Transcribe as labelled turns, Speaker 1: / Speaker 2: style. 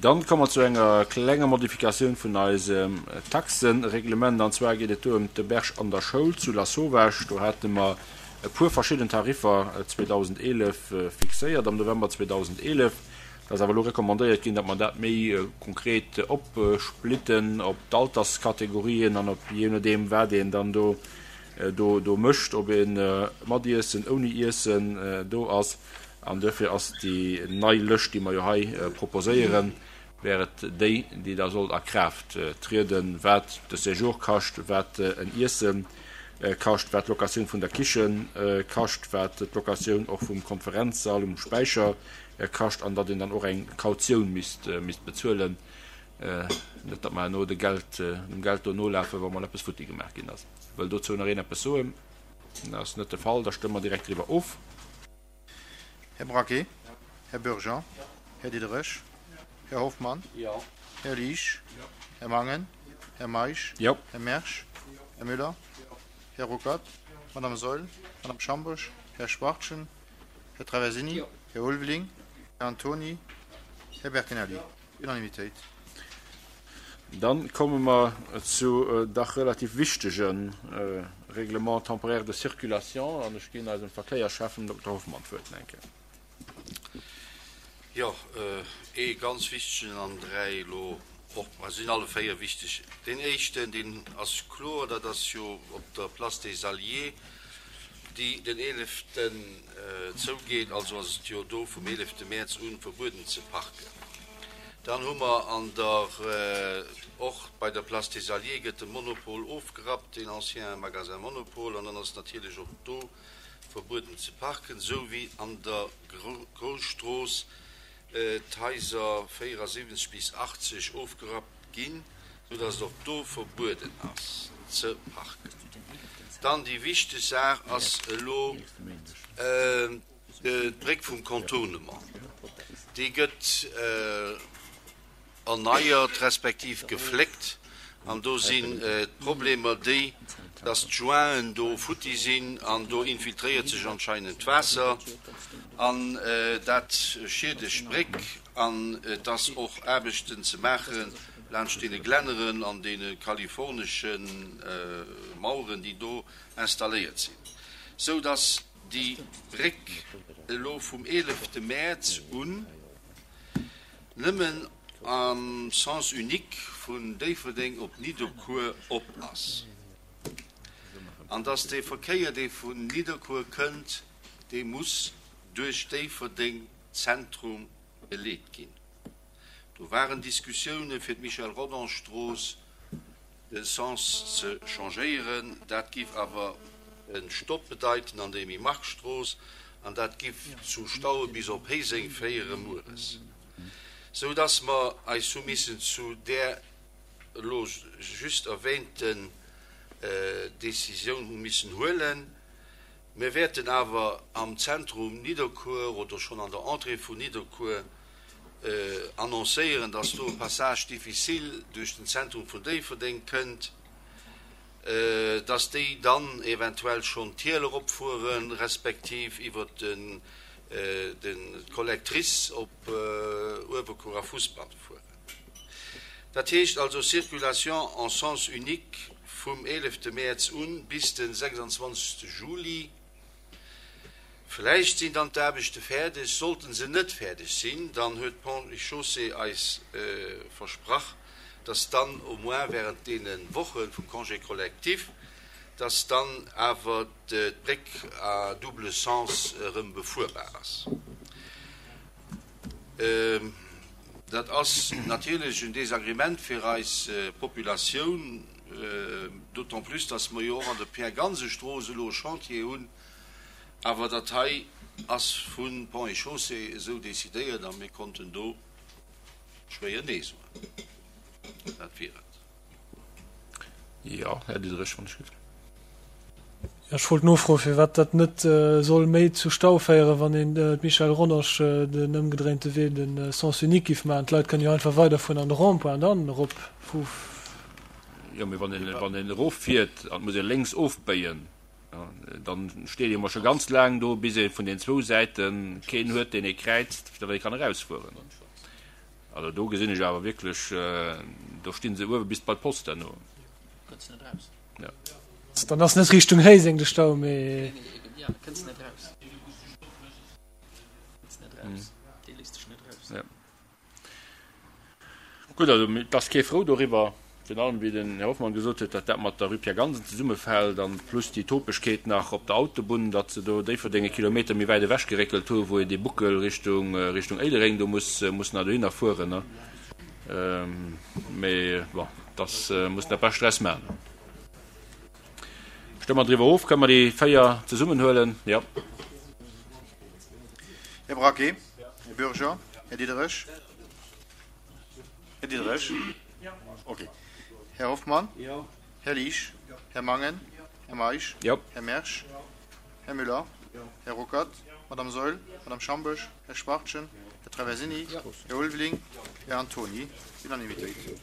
Speaker 1: Dann komme mer zu enger klenger Modifikatioun vun eisem Taxenreglement. An zwar geet et do ëm d'Auberge an der Schoul zu Lasauvage. Do hate mer e puer verschidden Tariffer 2011 fixéiert, am November 2011. Et ass awer elo recommandéiert ginn, datt mer dat méi konkret opsplitten op d'Alterskategorien an op jee nodeem, wat een dann do do mécht, ob ee mat Iessen, ouni Iessen do ass. An duerfir ass déi nei Lëscht, déi mer jo hei proposéieren, wär et déi, déi da sollt a Kraaft trieden, wat de Séjour kascht, wat en Iesse kascht, wat d'Locatioun vun der Kiche kascht, wat d'Locatioun och vum Konferenzsall um Späicher kascht, an datt een dann och eng Kautioun misst bezuelen, net datt mer herno de Geld, dem Geld do nolafen, wa mol eppes futti gemaach ginn ass. Wëll dozou nach een eppes soen? Dat ass net de Fall, da stëmme mer direkt driwwer of.
Speaker 2: Här Braquet? Här Bürger? Här Diderich? Här Hoffmann? Här Liesch? Här Mangen? Här Meisch? Här Mersch? Här Müller? Här Ruckert? Madame Saeul? Madame Schambosch? Här Schwachtgen? Här Traversini? Här Ulveling? Här Antony? Här Bertinelli? Unanimitéit.
Speaker 1: Dann komme mer zu dach relativ wichtege Règlement temporaire de circulation an ech ginn eisem Verkéierschäffen Dokter Hoffmann d'Wuert eng Kéier.
Speaker 3: Jo, ee ganz wichtegen an dräi elo och, ma se sinn alle véier wichteg. Deen éischten, deen ass kloer, dat ass jo op der Place des Alliés, déi den eeleften zougeet, also ass et jo do vum eelefte Mäerz un verbueden ze parken. Dann hu mer an der, och bei der Place des Alliés gëtt de Monopol ofgerappt, deen ancien Magasin Monopol, an dann ass natierlech och do verbueden ze parken, esou wéi an der Grousstrooss d'Haiser 74 bis 80 ofgerappt ginn, sou dass et och do verbueden ass ze parken. Dann déi wichteg Saach ass elo d'Bréck vum Contournement. Déi gëtt erneiert respektiv gefléckt an do sinn d'Problemer déi, dass d'Jointen do futti sinn an do infiltréiert sech anscheinend d'Waasser an dat schiedegt d'Bréck an et ass och Aarbechten ze maache laanscht deene Glänneren an deene kalifornesche Maueren, déi do installéiert sinn, sou dass déi Bréck elo vum eelefte Mäerz un nëmmen am Sens unique vun Déifferdeng op Nidderkuer op ass an dass dee Verkéier, dee vun Nidderkuer kënnt, dee muss duerch Déifferdeng Zentrum geleet ginn. Do waren Diskussioune fir d'Michel Rodange-Strooss de Sens ze changéieren. Dat giff awer e Stopp bedeiten an der Emile Mark Strooss an dat giff zu Staue bis op Héiseng féiere mueres. Sou dass mer eis hu missen zu där elo just erwähnten Décisioun hu missen huelen. Mir wäerten awer am Zentrum Nidderkuer oder schonn an der Entrée vun Nidderkuer annoncéieren, dass do e Passage difficile duerch den Zentrum vun Déifferdeng kënnt, dass déi dann eventuell schonn d'Hiel eropfuere respektiv iwwert d'Collectrice op Uewerkuer a Fussbann fueren. Dat heescht also Circulation en sens unique vum eelefte Mäerz un bis de 26 Juli. Vläicht sinn dann d'Aarbechte fäerdeg. Sollten se net fäerdeg sinn, dann huet d'Ponts et Chaussées eis versprach, dass dann au moins während deene Woche vum Congé collectif, dass dann awer d'Bréck à double sens erëm befuerbar ass. Dat ass natierlech en Désagrément fir eis Populatioun, d'autant plus, dass mer jo och an der Pierre-Gansen-Strooss elo e Chantier hunn. Awer dat hei ass vu Ponts et Chaussées esou decidéiert a mir konnten do schwéier Nee soen. Dat wier et.
Speaker 1: Jo, Här Diderich, wann ech giff.
Speaker 4: Jo, ech wollt nofroen, firwat dat net soll méi zu Stau féieren, wann een d'Michèle Rodange den ëmgedréinte Wee, de Sens unique giff maachen. D'Leit kënnen jo einfach weiderfueren an de Rond-point dann erop vu.
Speaker 1: Jo, mee wann een, wann een eroffiert an et muss ee lénks ofbéien, dann steet ee mol scho ganz laang do, bis ee vun den zwou Säite keen huet, deen ee kräizt, fir datt ee kann erausfueren. Also do gesinn ech awer wierklech, do sti se uewe bis bei d'Post herno.
Speaker 4: Ja. Dann ass net Richtung Réiseng de Stau, mee.
Speaker 1: Ja. Gutt, also et ass kee frou doriwwer, virun allem wéi den Här Hoffmann gesot huet, datt dat mat der Rue Pierre Gansen zesummefält an plus déi Topegkeet nach op der Autobunn, datt se do Déifferdeng e Kilometer méi wäit ewech geréckelt hu wou een dee Buckel Richtung Richtung Éilereng do muss muss nach dohinner fueren, ne. Mee bon, dass muss dat Bescht draus maachen. Stëmme mer driwwer of. Kënne mer déi 4 zesummen huelen? Jo.
Speaker 2: Här Braquet, Här Bürger, Här Diderich. Här Diderich? Okay. Här Hoffmann? Här Liesch? Här Mangen? Här Meisch? Här Mersch? Här Müller? Här Ruckert? Madame Saeul? Madame Schamboesch? Här Schwachtgen? Här Traversini? Här Ulveling? Här Antony? Unanimitéit.